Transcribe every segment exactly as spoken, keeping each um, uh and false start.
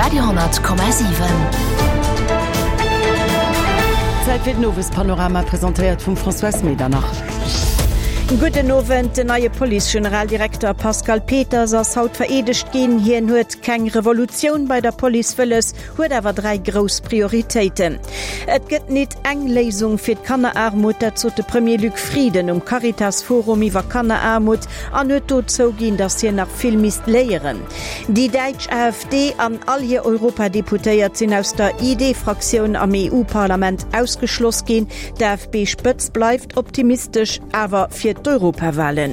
Radio honnert Komma siwen. Zäit fir den Owespanorama, presentéiert vum Françoise Medernach. Gudden Owend, Den neie Police-Generaldirekter Pascal Peters ass haut vereedegt ginn. Hien huet keng Revolutioun bei der Police wëlles, huet awer dräi grouss Prioritéiten. Et gëtt nit eng Léisung fir d'Kanneraarmut, dat sot de Premier Luc Frieden um Caritas-Forum iwwer Kanneraarmut an huet do zouginn, datt hien nach vill misst léieren. Déi däitsch AfD an all hir Europadeputéiert sinn aus der ID-Fraktioun am E U-Parlament ausgeschloss ginn. D'A F P-Spëtzt bleift optimistesch awer fir d'Europawalen.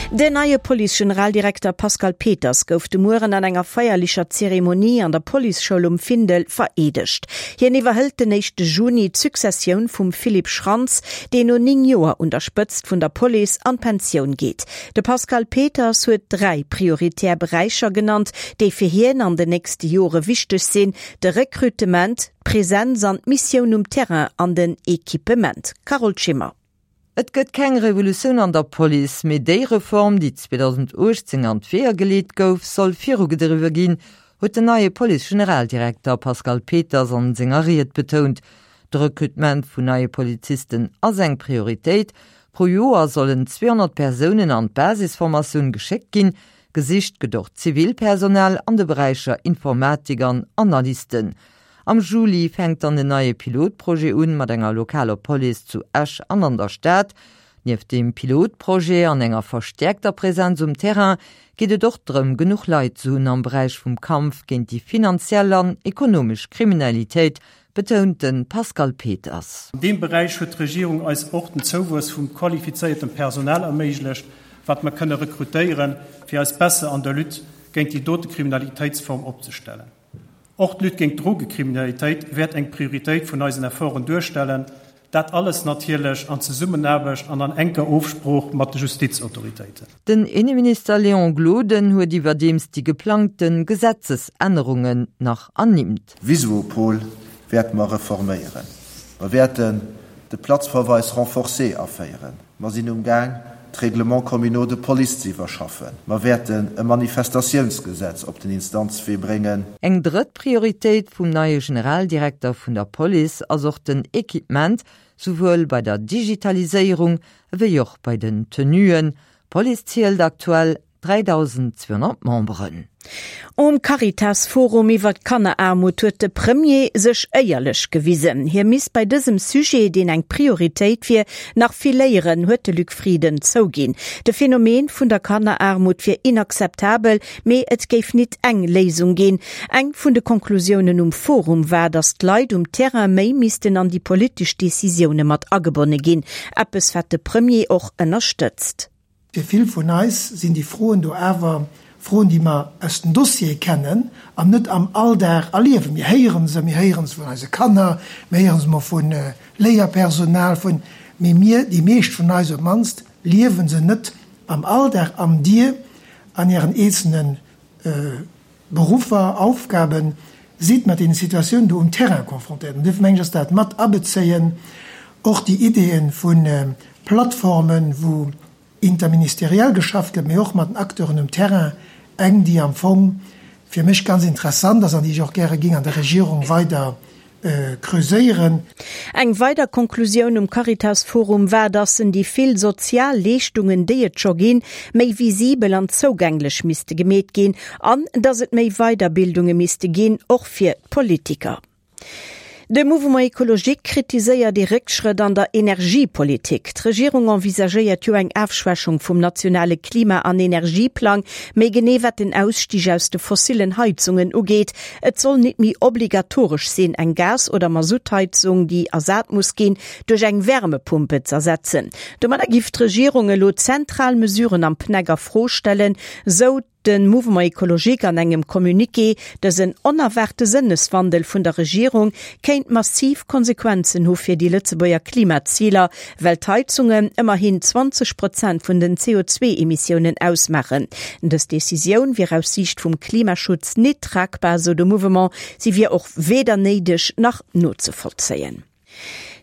Den neie Police-Generaldirekter Pascal Peters gouf de Mueren an enger feierlecher Zeremonie an der Policeschoul um Findel vereedegt. Hien iwwerhëlt den éischte Juni d'Successioun vum Philippe Schrantz, deen no néng Joer un der Spëtzt vun der Police an d'Pensioun geet. De Pascal Peters huet dräi prioritär Beräicher genannt, déi fir hien an den nächste Jore wichteg sinn, de Rekrutement, d'Presenz an d'Missioun um Terrain an den Equipement. Carole Schimmer. Et gëtt keng Revolutioun an der Police, mee déi Reform, déi zweedausendachtzéng an d'Weeër geleet gouf, soll virugedriwwe ginn, huet den neie Police-Generaldirekter Pascal Peters an senger Ried betount. De Rekrutement vun neie Polizisten ass eng Prioritéit. Pro Joer sollen zweehonnert Persounen an d'Basisformatioun geschéckt ginn. Gesicht gëtt och Zivilpersonal an de Beräicher Informatik an Analysten. Am Juli fänkt dann en neie Pilotprojet un mat enger lokaler Police zu Esch an an der Stad. Nieft dem Pilotprojet an enger verstäerkter Presenz um Terrain geet et och drëm, genuch Leit ze hunn am Beräich vum Kampf géint déi finanziell an ekonomesch Kriminalitéit, betount de Pascal Peters. An deem Beräich huet d'Regierung eis och den Zouwuess vum qualifizéiertem Personal erméiglecht, wat mer kënne rekrutéieren, fir eis besser an der Lutte géint déi dote Kriminalitéitsform opzestellen. Och d'Lutte géint d'Drogekriminalitéit wäert eng Prioritéit vun eisen Efforten duerstellen, dat alles natierlech an Zesummenaarbecht an an enker Ofsprooch mat de Justizautoritéiten. Den Inneminister Léon Gloden huet iwwerdeems déi geplangte Gesetzesännerungen nach ernimmt. VisuoPol wäerte mer reforméieren. Mer wäerten de Platzverweis renforcé aféieren. Mer sinn um Gaang, d'Règlements communaux de police ze iwwerschaffen. Mer wäerten e Manifestatiounsgesetz op den Instanzwee bréngen. Eng drëtt Prioritéit vum neie Generaldirekter vun der Police ass och den Equipement, souwuel bei der Digitaliséierung wéi och bei den Tenuen. D'Police zielt aktuell dräidausendzweehonnert Memberen. Um Caritas-Forum iwwer d'Kanneraarmut huet de Premier sech éierlech gewisen. Hie misst bei dësem Sujet, deen eng Prioritéit wier, nach vill léieren, huet de Luc Frieden zouginn. De Phänomen vun der Kanneraarmut wier inakzeptabel, mee et géif nit eng Léisung ginn. Eng vun de Konklusiounen um Forum war, datt d'Leit um Terrain méi missten an déi politesch Decisioune mat agebonne ginn. Eppes wat de Premier och ënnerstëtzt. Fir vill vun eis sinn déi Froen do awer Froen, déi mer aus den Dossiere kennen an net am Alldag erliewen. Mir héiere se, mir héiere se vun eise Kanner, mir héiere se mol vu Léierpersonal, vun, mee mir, déi meescht vun eis op d'mannst, liewe se net am Alldag. An Dir an Ären eenzelne Beruffer, Aufgaben, sidd mat deene Situatiounen do um Terrain confrontéiert. An duerfir mengen ech, ass dat mat abezéien, och déi Ideeën vu Plattformen, wou interministeriell geschafft gëtt, mee och mat den Acteuren um Terrain, eng, déi am Fong fir mech ganz interessant ass an déi ech och gäre géing an der Regierung weider creuséieren. Eng weider Konklusioun um Caritas-Forum war, datt en déi vill sozial Leeschtungen, déi et scho ginn, méi visibel an zougänglech misste gemeet ginn an datt et méi Weiderbildunge misste ginn, och fir d'Politiker. De Mouvement écologique kritiséiert de Réckschrëtt an der Energiepolitik. D'Regierung envisagéiert jo eng Ofschwächung vum nationale Klima- an Energieplang, méi genee wat den Ausstig aus de fossilen Heizungen ugeet. Et soll net méi obligatoresch sinn, eng Gas- oder Masuttheizung, déi ersat muss ginn, duerch eng Wärmepumpe z'ersetzen. Domadder géif d'Regierung elo zentral Mesuren am P N E C a Fro stellen, sou de Mouvement écologique an engem Communiqué. Dësen onerwaarte Sënneswandel vun der Regierung kéint massiv Konsequenzen hu fir déi Lëtzebuerger Klimaziler, well d'Heizungen ëmmerhin zwanzeg Prozent vun den C O zwee Emissiounen ausmaachen. Dës Decisioun wier aus Siicht vum Klimaschutz net tragbar, sou de Mouvement, si wier och weder néideg nach nozevollzéien.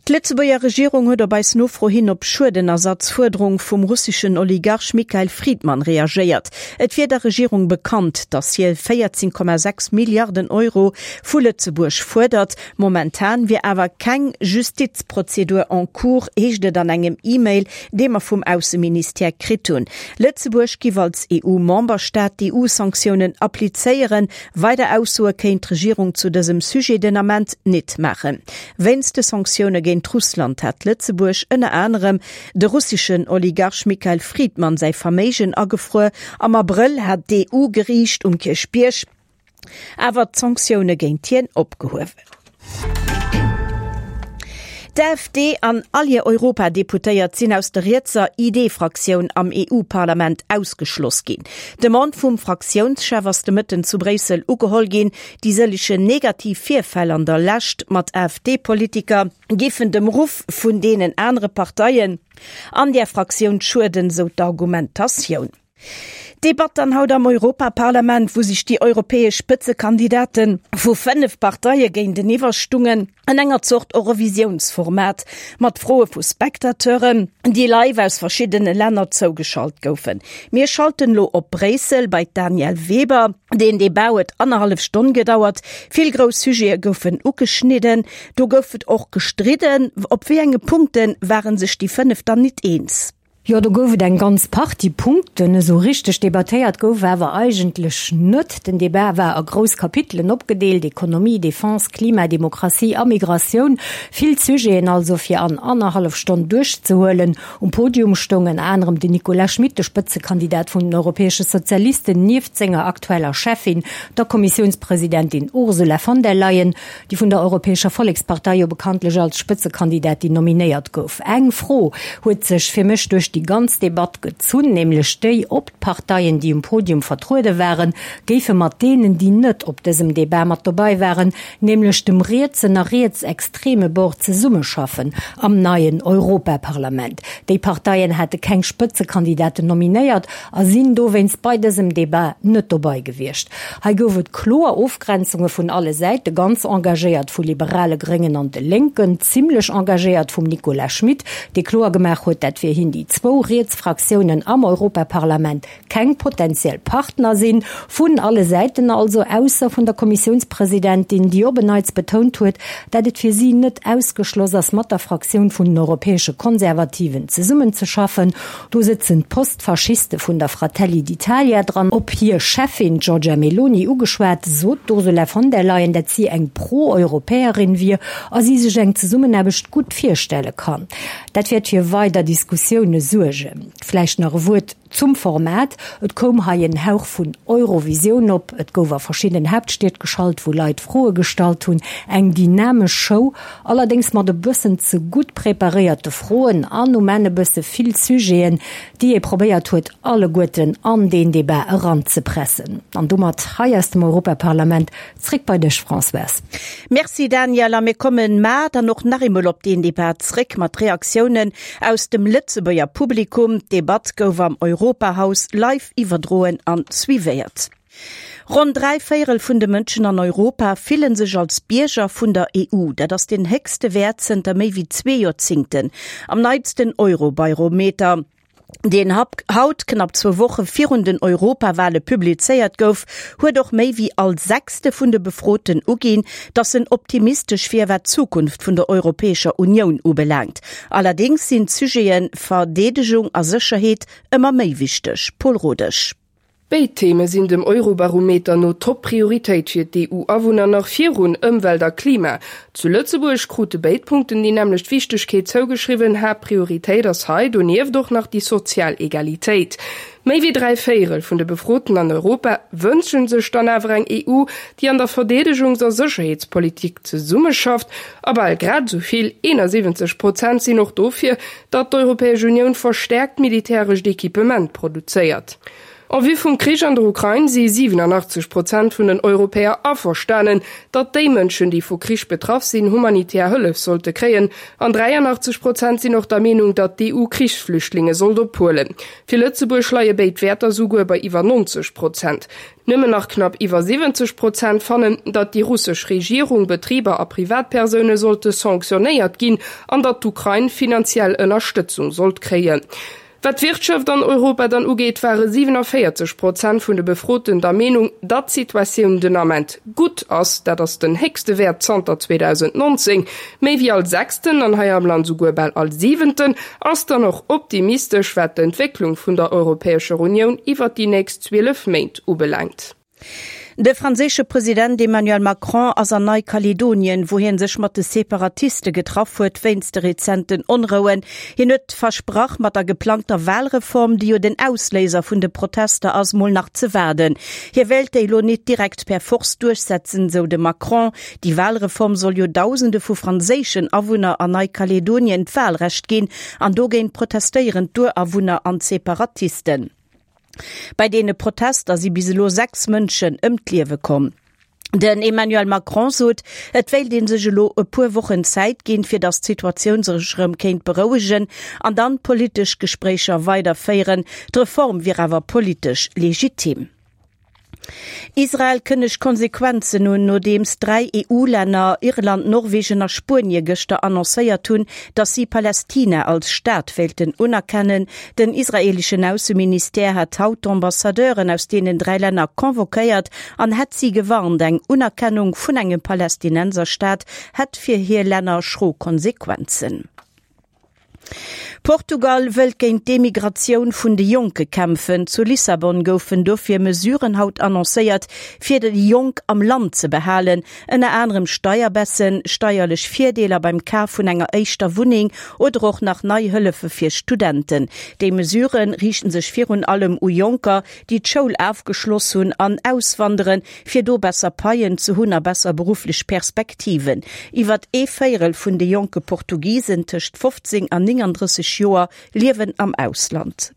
D'Lëtzebuerger Regierung huet op eis Nofro hin op Schuedenersatzfuerderung vum russeschen Oligarch Mikhail Fridman reagéiert. Et wier der Regierung bekannt, datt hie véierzéng Komma sechs Milliarden Euro vu Lëtzebuerg fuerdert. Momentan wier awer keng Justizprozedur en cours, heescht et an engem E-Mail, dee mer vum Ausseministère kritt hunn. Lëtzebuerg giff als E U-Memberstaat d'E U-Sanktiounen applizéieren. Weider Aussoe kéint d'Regierung zu dësem Sujet den Ament nit maachen. Wéinst de Sanktioune géint Russland hat Lëtzebuerg ënner anerem de russeschen Oligarch Mikhail Fridman säi Verméigen agefruer. Am Abrëll hat d'E U-Geriicht um Kierchbierg awer d'Sanktioune géint hien opgehuewen. D'A F D an all hir Europadeputéiert sinn aus der rietser I D-Fraktioun am E U-Parlament ausgeschloss ginn. D'Demande vum Fraktiounschef ass de Mëtten zu Bréissel ugeholl ginn. Déi sëllechen negativ Virfäll an der Lescht mat A F D-Politiker géifen dem Ruff vun deenen anere Parteien an där Fraktioun schueden, sou d'Argumentatioun. Debatt dann haut am Europaparlament, wou sech déi europäesch Spëtzekandidate vu fënnef Parteie géinteniwwer stungen, an enger Zort Eurovisiounsformat, mat Froe vu Spectateuren, déi live aus verschiddene Länner zougeschalt goufen. Mir schalten lo op Bréissel bei d'Danièle Weber. Den Debat huet annerhallef Stonn gedauert, vill grouss Sujete goufen ugeschnidden, do gouf et och gestridden. Op wéi enge Punkte ware sech déi fënnef dann nit eens? Jo, do gouf et eng ganz Partie Punkten. Esou richteg debattéiert gouf awer eigentlech net. Den Debat war a grouss Kapitelen opgedeelt, Ekonomie, Defense, Klima, Demokratie a Migratioun. Vill Sujeten also fir an annerhallef Stonn duerchzehuelen. Um Podium stoung ënner anerem den Nicolas Schmit, de Spëtzekandidat vun den Europäesche Sozialisten, nieft senger aktueller Cheffin, der Kommissiounspresidentin Ursula von der Leyen, déi vun der Europäescher Vollekspartei jo bekanntlech als Spëtzekandidatin nominéiert gouf. Eng Fro huet sech fir mech duerch déi ganz Debatt gezunn, nämlech déi, ob d'Parteien, déi um Podium vertruede waren, géife mat deenen, déi net op dësem Debat mat dobäi waren, nämlech dem rietsen a rietsextreme Bord, zesummeschaffen am neien Europaparlament. Déi Parteien hate keng Spëtzekandidaten nominéiert a sinn dowéinst bei dësem Debat net dobäi gewiescht. Hei gouf et kloer Ofgrenzunge vun alle Säite, ganz engagéiert vu Liberale, Gréngen an de Lénken, zimlech engagéiert vum Nicolas Schmit, dee kloer gemaach huet, dat fir hien déi zwou riets Fraktiounen am Europaparlament keng potentiell Partner sinn. Vun alle Säiten also, ausser vun der Kommissiounspresidentin, déi op en Neits betount huet, dat et fir si net ausgeschloss ass, mat der Fraktioun vun den Europäesche Konservativen zesummenzeschaffen. Do sëtzen d'Postfaschiste vun der Fratelli d'Italia dran. Op hir Cheffin Giorgia Meloni ugeschwat, sot d'Ursula von der Leyen, dat si eng Pro-Europäerin wier a si sech eng Zesummenaarbecht gutt virstelle kann. Dat wäert fir weider Diskussioune suergen. Vläicht nach e Wuert zum Format, Et koum hei en Hauch vun Eurovisioun op, et gouf a verschiddenen Haaptstied geschalt, wou Leit Froe gestallt hunn. Eng dynamesch Show, allerdéngs mat e bëssen ze gutt preparéierte Froen an um Enn e bësse vill Sujeten, déi ee probéiert huet, alleguerten an deen Debat eranzepressen. An domat hei aus dem Europaparlament zréck bei dech, Françoise. Merci Danièle, a mir kommen mar dann och nach eemol op deen Debat zréck mat Reaktiounen aus dem Lëtzebuerger Publikum. D'Debatt gouf am Europahaus live iwwerdroen an suivéiert. Ronn dräi Véierel vun de Mënschen an Europa fillen sech als Bierger vun der E U. Dat ass den héchste Wäert zënter méi wéi zwee Joerzéngten. Am neitsten Eurobarometer, deen haut knapp zwou Woche virun den Europawale publizéiert gouf, huet och méi wéi all Sechste vun de Befroten uginn, datt en optimistesch wier wat d'Zukunft vun der Europäescher Unioun ubelaangt. Allerdéngs sinn d'Sujete Verdeedegung a Sécherheet ëmmer méi wichteg. Paul Rodesch. Béid Theme sinn dem Eurobarometer no Top-Prioritéit fir d'E U-Awunner nach virun Ëmwelt a Klima. Zu Lëtzebuerg krute béid Punkten déi nämmlecht Wichtegkeet zougeschriwwen, Haaptprioritéit ass hei donieft och nach déi sozial Egalitéit. Méi wéi dräi Véierel vun de Befroten an Europa wënsche sech dann awer eng E U, déi an der Verdeedegungs a Sécherheetspolitik zesummeschafft, a bal grad esou vill, eenasiwwenzeg Prozent, sinn och dofir, datt d'Europäesch Unioun verstäerkt militärescht Equipement produzéiert. En vue vum Krich an der Ukrain si siwenanachtzeg Prozent vun den Europäer averstanen, datt déi Mënschen, déi vu Krich betraff sinn, humanitär Hëllef sollte kréien. An dräianachtzeg Prozent sinn och der Meenung, datt d'EU Krichsflüchtlinge sollt ophuelen. Fir Lëtzebuerg leie béid Wäerter souguer bei iwwer nonzeg Prozent. Nëmmen nach knapp iwwer siwwenzeg Prozent fannen, datt déi russesch Regierung, Betriber a Privatpersoune sollte sanktionéiert ginn an datt d'Ukrain finanziell Ënnerstëtzung sollt kréien. Wat d'Wirtschaft an Europa dann ugeet, ware siwenavéierzeg Prozent vun de Befroten der Meenung, datt d'Situatioun den Ament gutt ass. Dat ass den héchste Wäert zanter zweedausendnonzéng. Méi wéi all Sechsten, an hei am Land souguer bal all Siwenten, ass dann och optimistesch, wat d'Entwécklung vun der Europäescher Unioun iwwert déi nächst zwielef Méint ubelaangt. De franséische President Emmanuel Macron ass an Neikaledonien, wou hie sech mat de Separatiste getraff huet wéinst de rezenten Onrouen. Hien huet versprach, mat der geplangter Walreform, déi jo den Ausléiser vun de Protester ass, mol nach ze waarden. Hie wéilt déi elo nit direkt per Force duerchsetzen, sou de Macron. Déi Walreform soll jo Dausende vu franséischen Awunner an Neikaledonien d'Walrecht ginn an dogéint protestéieren d'Urawunner an d'Separatisten. Bei deene Protester si bis elo sechs Mënschen ëm d'Liewe komm. Den Emmanuel Macron sot, et wéilt ee sech elo e puer Wochen Zäit ginn, fir datt d'Situatioun sech erëm kéint berouegen an dann d'politesch Gespréicher weiderféieren. D'Reform wier awer politesch legitim. Israel kënnegt Konsequenzen un, nodeems dräi EU-Länner, Irland, Norwegen a Spuenie gëschter annoncéiert hunn, datt si Palästina als Staat wéilten unerkennen. Den israeeleschen Ausseministère hat haut d'Ambassadeuren aus deenen dräi Länner convoquéiert an hätt si gewarnt, eng Unerkennung vun engem Palästinenserstaat hätt fir hir Länner schro Konsequenzen. Portugal wëllt géint d'Emigratioun vun de Jonke kämpfen. Zu Lissabon goufen dofir Mesuren haut annoncéiert, fir déi Jonk am Land ze behalen, ënner anerem Steierbaissen, steierlech Virdeeler beim Kaf vun enger éischter Wunneng oder och nach nei Hëllefe fir Studenten. Déi Mesurë riichten sech virun allem u Jonker, déi d'Schoul afgeschloss hunn an auswanderen, fir do besser Paien ze hunn a besser berufflech Perspektiven. Iwwert ee Véierel vun de jonke Portugisen tëscht fofzéng an nénganddrësseg Joer liewen am Ausland.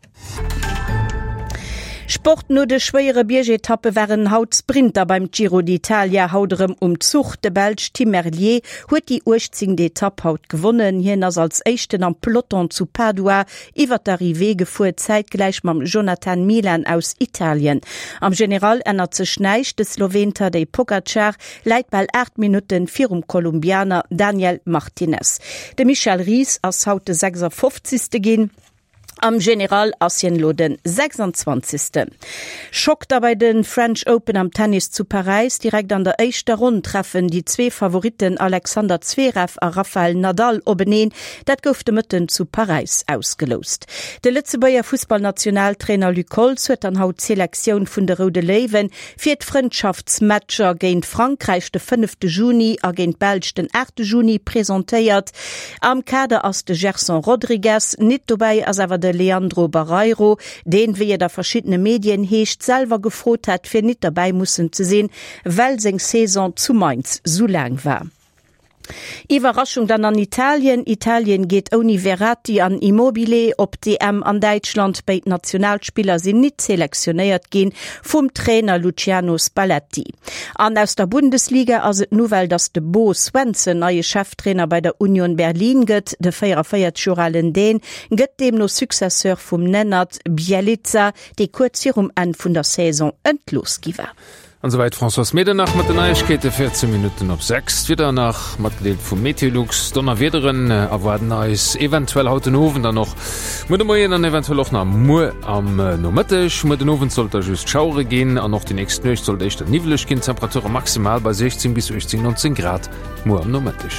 Sport, No de schwéiere Biergetappe waren haut d'Sprinter beim Giro d'Italia haut erëm um Zuch. De Belsch Tim Merlier huet déi uechtzéngt Etapp haut gewonnen. Hien ass als éischten am Peloton zu Padua iwwer d'Arrivée gefuer, zäitgläich mam Jonathan Milan aus Italien. Am General ännert sech näischt, de Sloween Tadej Pogacar läit bal aacht Minutte virum Kolumbianer Daniel Martinez. De Michel Ries ass haut de sechsafofzegste ginn. Am General ass hien elo de sechsanzwanzegsten. Schock da bei de French Open am Tennis zu Paräis. Direkt an der éischter Ronn treffen déi zwee Favoritten Alexander Zverev a Rafael Nadal openeen. Dat gouf de Mëtten zu Paräis ausgeloust. De Lëtzebuerger Fussballnationaltrainer Luc Holtz huet dann haut d'Selektioun vun de Roude Léiwen fir d'Frëndschaftsmatcher géint Frankräich de fënnefte Juni a géint d'Belsch den aachte Juni presentéiert. Am Kader ass de Gerson Rodrigues, nit dobäi ass awer de Leandro Barreiro, deen, wéi et a verschiddene Medien heescht, selwer gefrot hätt, fir nit derbäi mussen ze sinn, well seng Saison zu Mainz sou laang war. Iwwerraschung dann an Italien, Italien geet ouni Verratti an Immobile op d'EM an Däitschland. Béid Nationalspiller sinn nit selektionéiert ginn vum Trainer Luciano Spalletti. An aus der Bundesliga ass et d'Nouvelle, datt de Bo Svensson neie Cheftrainer bei der Union Berlin gëtt. De véierundavéierzeg Joer alen Dän gëtt deemno Successeur vum Nenad Bjelica, dee kuerz virum Enn vun der Saison entlooss gi war. An souwäit d'Françoise Medernach mat den Neiegkeete. véierzéng Minutten op sechs. D'Wieder nach matgedeelt vum Meteolux. Donnerwiederen erwaarden eis eventuell haut den Owend an och muer de Moien an eventuell och nach muer am Nomëtteg. Muer den Owend sollt da just Schauere ginn an och déi nächst Nuecht sollt éischter niwweleg ginn. Temperature maximal bei siechzéng bis uechtzéng, nonzéng Grad muer am Nomëtteg.